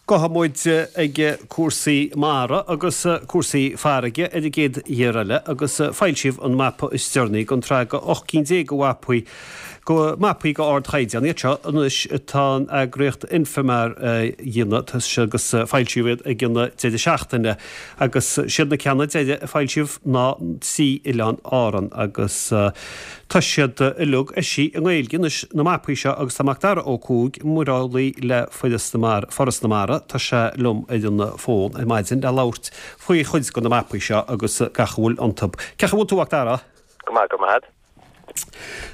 Gabhfaidh muid ag cúrsaí mara agus cúrsaí farraige ar an gcéad ghiar eile agus foilsíodh an mapa is deireanaí den tsraith de 18 cinn de mhapaí go mapaí de ardchaighdeán iad seo anois atá an eagraíocht Infomar a dhéanamh agus foilsíodh iad ag an deireadh seachtaine agus siad na ceanna deiridh a foilsíodh ná trí Oileán Árann agus Tá siad uilig eisithe i nGaeilge anois, na mapaí seo, agus tá Macdara Ó Cuaig, muireolaí le Foras na Mara, Foras na Mara, tá sé liom ar an bhfón ar maidin le labhairt faoi chuid de na mapaí seo agus gach a bhfuil iontu. Cén chaoi a bhfuil tú, a Mhacdara? Go maith, go raibh maith agat.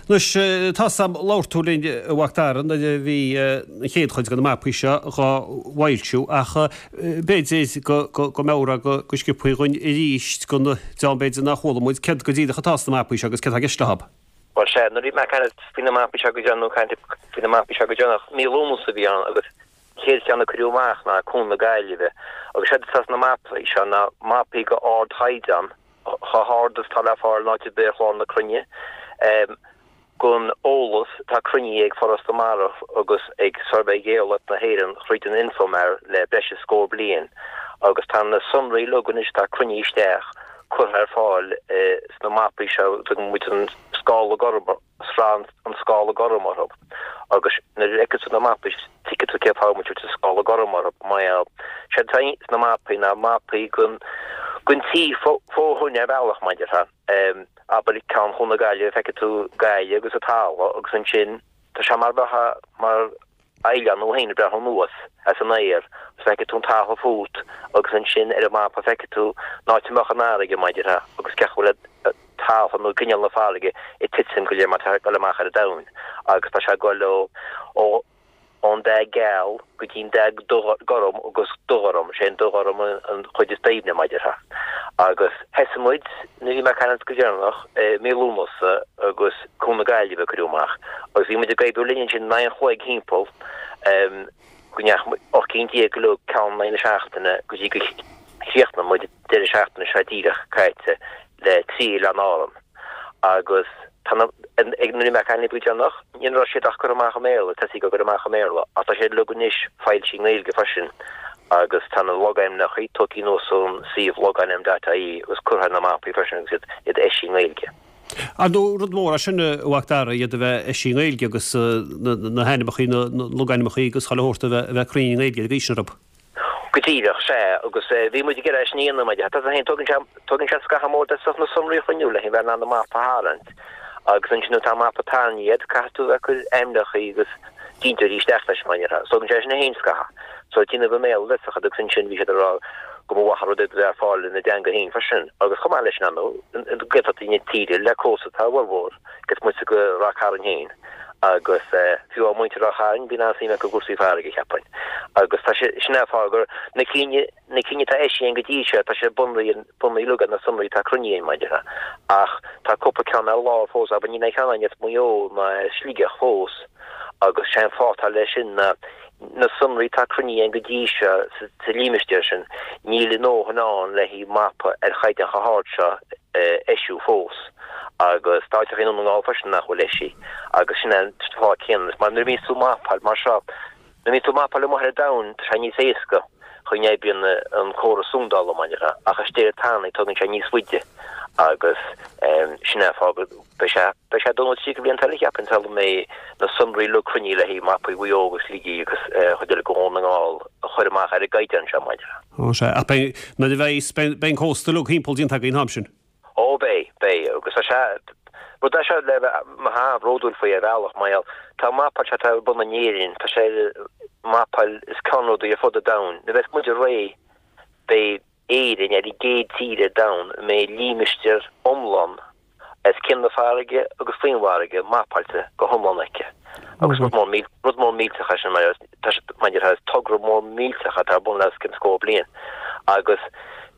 Anois, tá 's a'm, labhair tú linn, a Mhacdara, nuair a bhí an chéad chuid de na mapaí seo dhá bhfoilsiú, ach B'fhéidir go mbeadh go sciobthaí dhúinn arís don dream b'fhéidir nár chuala muid céard go díreach atá sna mapaí seo agus céard atá i gceist leo. Bhuel sea, nuair a bhí mé ag caint faoi na mapaí seo go deireanach, nó caint faoi na mapaí seo go deireanach, mí Lúnasa a bhí ann agus an chéad cheann a cuireadh amach ná Cuan na Gaillimhe agus séard atá sna mapaí seo ná mapaí de ardchaighdeán, chomh hard is atá le fáil in áit ar bith ar chlár na cruinne. Gon eolas atá cruinnithe ag Foras na Mara agus ag Suirbhé Gheolaíoch na hÉireann thríd an Infomar le breis is scór bliain agus tá na sonraí uilig anois atá cruinnithe isteach curtha ar fáil sna mapaí seo a dtugann muid an scála gorm, sraith an scála gorm orthu agus nuair a fheiceann tú na mapaí tuigfidh tú cén fáth a bhfuil muid ag tabhairt an scála gorm orthu mar gheall séard atá sna mapaí ná mapaí gon gon tír fó thoinn ar bhealach mar a déarfá. Abair ceann Chuan na Gaillimhe, feicfidh tú Gaillimh agus an talamh agus ansin tá sé mar bheifeá mar oileán thú féin ag breathnú anuas as an aer agus feicfidh tú an talamh fút agus ansin ar an mapa feicfidh tú an áit a mbeadh an fharraige mar a déarfá agus cén chaoi a bhfuil talamh nó grinneall na farraige ag titim go léir mar tá ag dul amach ar an domhain agus tá sé ag dul ó ó ón dath geal go dtí an dath gorm agus dubhghorm, sé an dubhghorm an chuid is doimhne, mar a déarfá. Agus thosaigh muid, nuair a bhí mé ag caint go deireanach, i mí Lúnasa agus Cuan na Gaillimhe a cuireadh amach agus bhí muid ag oibriú linn ansin in aghaidh an chloig thimpeall, go ndeachaigh muid 18 cinn uilig, ceann in aghaidh na seachtaine go dtí go chríochnaigh muid an deireadh seachtaine seo díreach caite le trí Oileán Árann. Agus tá na, ag, nuair a bhí mé ag caint libh go deireanach, ní raibh siad ach curtha amach i mBéarla, tosaithe á gcur amach i mBéarla, ach tá siad uilig anois foilsithe i nGaeilge freisin agus tá na logainmneacha tógtha anuas ón suíomh logainm dot ie agus curtha ar na mapaí freisin agus iad, iad eisithe i nGaeilge. Ar ndóigh, rud mór é sin, a Mhacdara, iad a bheith eisithe i nGaeilge agus na, na hainmneacha, na, na logainmneacha agus chuile shórt a bheith, a bheith cruinn i nGaeilge ar an gcaoi sin orthu. Go díreach, sea, agus bhí muid ag iarraidh é sin a dhéanamh, mar tá féin, tógann sé, tógann sé scaitheamh mór de na sonraí a chruinniú le bheith in ann an mapa a tharraingt agus ansin nuair atá an mapa tarraingthe agat, caithfidh tú a bheith ag cur ainmneacha agus dintiúirí isteach leis, mar a déarfá. So tógann sé sin féin scaitheamh. So déanamh i mBéarla le sochaí agus ansin bhí siad ag rá go mba mhaith an rud é a bheith ar fáil ina dteanga féin freisin agus chomh maith leis sin, ar ndóigh, Gaeltachtaí na tíre le cósta atá a bhformhór, cé is moite de Ráth Cairn féin. Agus fiú amháin muintir Ráth Chairn, bíonn an-suim acu i gcúrsaí farraige, cheapfainn. Agus tá sé, sin é an fáth gur na cinn, na cinn atá eisithe againn go dtí seo, tá sé bunaithe, bunaithe uilig ar na sonraí atá cruinnithe againn, mar a déarfá. Ach tá cúpla ceann ar lár fós, abair, níl aon cheann againn as Maigh Eo ná as Sligeach fós. Agus sé an fáth atá leis sin ná na sonraí atá cruinnithe againn go dtí seo sa límistéar sin, níl a ndóthain ann le haghaidh mapa ar chaighdeán chomh hard seo a eisiú fós. Agus tá áiteacha i nDún na nGall freisin nach bhfuil eisithe agus sin é an fáth céanna. Mar nuair a bhíonns tú ag mapáil mar seo, nuair a bhíonns tú ag mapáil amuigh ar an domhan, tá sé níos éasca chaoi a n-oibríonn an córas sondála mar a déarfá, ach istigh ar an tanaí tógann sé níos faide agus sin é an fáth go beidh sé beidh sé dó nó 30 blianta eile cheapfainn sula mbeidh na sonraí uilig cruinnithe le haghaidh mapaí Mhaigh Eo agus Shligigh agus an chuid eile de Dhún na nGall a chur amach ar an gcaighdeán seo mar a déarfá. Ó sea, ach beidh, nuair a bheidh, beidh an cósta uilig thimpeall déanta againn an t-am sin. Ó beidh, beidh, agus tá sé, rud é seo le bheith an-bhródúil faoi ar bhealach, mar gheall, tá an mapáil seo atá ar bun in Éirinn, tá sé ar mapáil is ceannródaí ar fud an domhain. Nuair a bheas muid réidh, beidh Éirinn ar an gcéad tír ar domhan a mbeidh límistéar iomlán os cionn na farraige agus faoin bhfarraige mapáilte go hiomlán aici. Agus rud mór, rud mór millteach é sin, mar tá sé, mar a déarfá, is togra mór millteach atá ar bun le os cionn scór bliain. Agus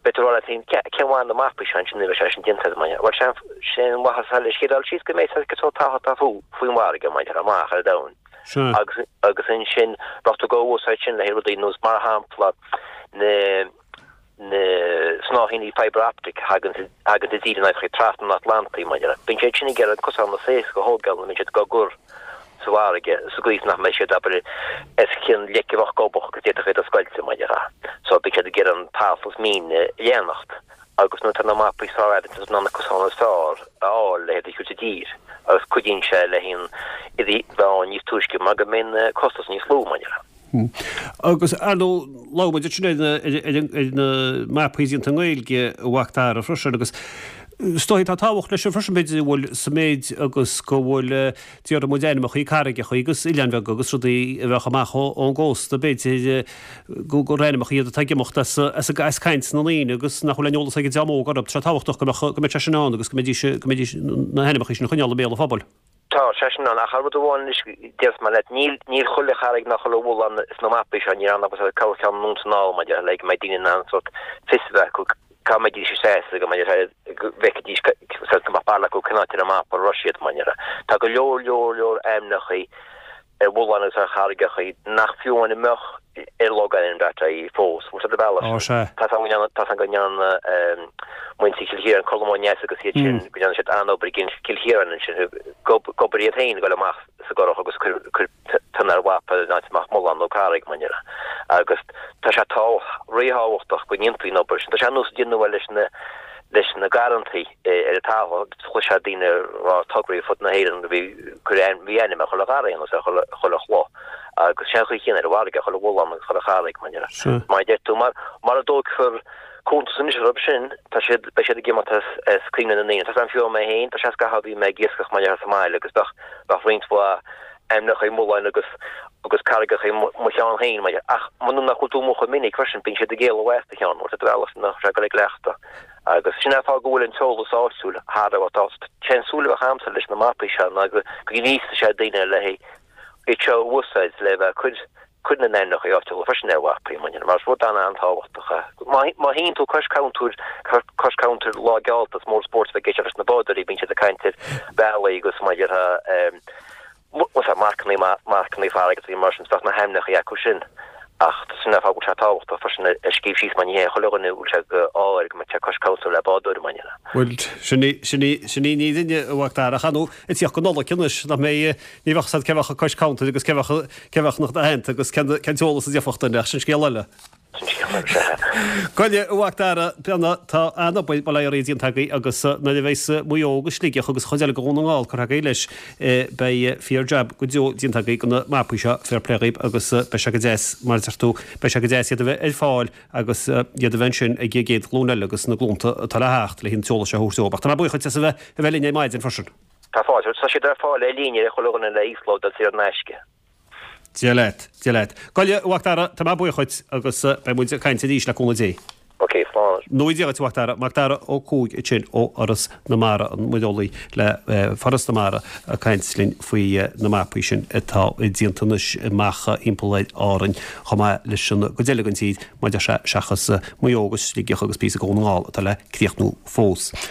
beidh tú ag rá leat féin, cén mhaith na mapaí seo ansin nuair a bheidh sé sin déanta agat, mar a déarfá. Bhuel, sé an mhaitheas atá leis, chéad dul síos go mbeidh sé cosúil talamh atá faoin bhfarraige, mar a déarfá, amach ar an domhan. Agus, agus ansin, bheadh tú ag úsáid sin le haghaidh rudaí nós, mar shampla, na, na snáithíní fibre optic a thagann thagann i dtír in áiteacha trasna an Atlantaigh, mar a déarfá. Bíonn siad sin ag iarraidh an cosán is éasca a thógáil nuair a bhíonn siad á gcur. sa bhfarraige sa gcaoi is nach mbeidh siad, abair, os cionn leic a bheadh gobach agus d'fhéadfadh iad a scoilteadh, mar a déarfá. So beidh siad ag iarraidh an talamh is míne a leanacht agus nuair atá na mapaí sár-fhada tá siad in ann na cosáin is fearr a fháil le hiad a thabhairt i dtír agus cuidíonn sé le haon iad a bheith ann níos túisce mar go mbíonn costas níos lú, mar a déarfá. Agus, ar ndóigh, labhair muid ansin ar na mapaí déanta i nGaeilge, a Mhac Dara, freisin, agus is dóigh tá tábhacht leis sin freisin, b'fhéidir, go bhfuil sa méid agus go bhfuil, déarfaidh muid, ainmneacha carraigeacha agus oileáin bheaga agus rudaí a bheadh amach ón gcósta, b'fhéidir, gur ainmneacha iad atá ag imeacht as caint na ndaoine agus nach bhfuil aon eolas ag an dream óg orthu. Tá sé tábhachtach go mbeadh, go mbeadh sé sin ann agus go mbeidís, go mbeidís na hainmneacha sin a choinneáil i mbéal an phobail. Tá sé sin ann, ach rud amháin anois, déarfas mé leat, níl, níl chuile charraig ná chuile mhullán sna mapaí seo, níl ann ach corrcheann anonn is anall, mar a déarfá, le go mbeidh daoine in ann sórt fios a bheith acu cá mbeidís ag seasamh, go mbeidh sé, go bhfeicfidís sórt go mbeadh barúil acu cén áit ar an mapa a raibh siad, mar a déarfá. Tá go leor, leor, leor ainmneachaí ar mhulláin agus ar charraigeachaí nach fiú amháin a mbeadh ar logainm dot ie fós. Bhfuil sé do bhealach sin? Ó, sea. Tá a fhios agam go ndearna muintir Chill Chiaráin, Colm Ó Neasa agus iad sin, go ndearna siad an-obair i gCill Chiaráin ansin, g'obair iad féin ag dul amach sa gcurach agus cur pionna ar mhapa in áit a mbeadh mullán nó carraig, mar a déarfá. Agus tá sé ríthábhachtach go ndéanfaí an obair sin. Tá sé ar nós a déanadh leis na leis na garrantaí ar an talamh. Chloisfeá daoine ag rá tograí ar fud na hÉireann bhí bhí ainm ar chuile gharraí nó ar chuile chuile chloch agus sé an chaoi chéanna ar an bhfarraige, chuile mhullán agus chuile charraig mar a déarfá. Mar a deir tú, mar mura dtógfar cuntas anois orthu sin, tá siad, beidh siad ag imeacht as as cuimhne na ndaoine. Tá a fhios agam fiú mé féin, tá sé scaitheamh a bhí mé ag iascach mar a déarfá sa mbaile agus bheadh bheadh roinnt mhaith ainmneacha mulláin agus agus carraigeacha i mo cheann féin, mar ach muna nach bhfuil tú amuigh chomh minic freisin, bíonn siad ag éalú as do cheann, bhfuil a fhios agat, nach sé go le cleachtadh. Agus sin é an fáth go bhfuil an t-eolas áitiúil thar a bheith tábhachtach. Sé an súil a bheadh agamsa leis na mapaí seo ná go ngríosfaidh sé daoine le iad seo a úsáid le bheith ag cur cur na n-ainmneacha áitiúla freisin ar mhapaí, mar is rud an-an-tábhachtach é. Má shuíonn tú cois cuntair, cois cuntair lá geallta, is mór an spórt a bheith ag éisteacht leis na bádóirí, bíonn siad ag caint ar bhealaí agus mar a déarfá, marcanna, marcanna farraige agus mar sin, bheadh na hainmneacha acu sin. Ach sin é an fáth go bhfuil sé tábhachtach freisin a scríobh síos mar ní hé chuile dhuine a bhfuil sé d'ádh air go mbeadh sé cois cuntair le bádóir mar sin. Bhuel, sin í, sin í, sin í an fhírinne, a Mhac Dara, ach ar ndóigh, ag tíocht go Nollaig anois, nach mbeidh, ní bheadh 's a'd cé bheadh cois cuntair agus cé bheadh, cé bheadh ina theannta agus cén, cén t-eolas a d'fhéadfadh duine, ach sin scéal eile. Gabh i leith, a Mhac Dara, tá an-obair bail ó Dhia oraibh déanta agaibh agus nuair a bheas Maigh Eo agus Sligeach agus an chuid eile de Dhún na nGall curtha agaibh leis, beidh fíor jab go deo déanta agaibh de na mapaí seo, fair play dhaoib agus beidh sé go deas, mar a deir tú, beidh sé go deas iad a bheith ar fáil agus iad a bheith ansin ag an gcéad ghlúin eile agus na glúnta atá le theacht le an t-eolas seo a thabhairt dóibh. Ach tá mé buíoch duit as a bheith a bheith linn ar maidin freisin. Tá fáilte. Tá siad ar fáil ar líne ag chuile dhuine le íoslódáil saor in aisce. Dia leat, Dia leat. Gabh i leith, a Mhac Dara, tá mé buíoch dhuit agus beidh muid ag caint arís le cúnamh Dé. Ok, slán. Go dona Dia dhuit, a Mhac Dara. Mac Dara Ó Cuaig ansin ó Fhoras na Mara, an muireolaí le Foras na Mara ag caint linn faoi na mapaí sin atá déanta anois amach thimpeall ar Árainn chomh maith leis an gcuid eile den tír, mar a deir sé, seachas Maigh Eo agus Sligeach agus píosa de Dhún na nGall atá le críochnú fós.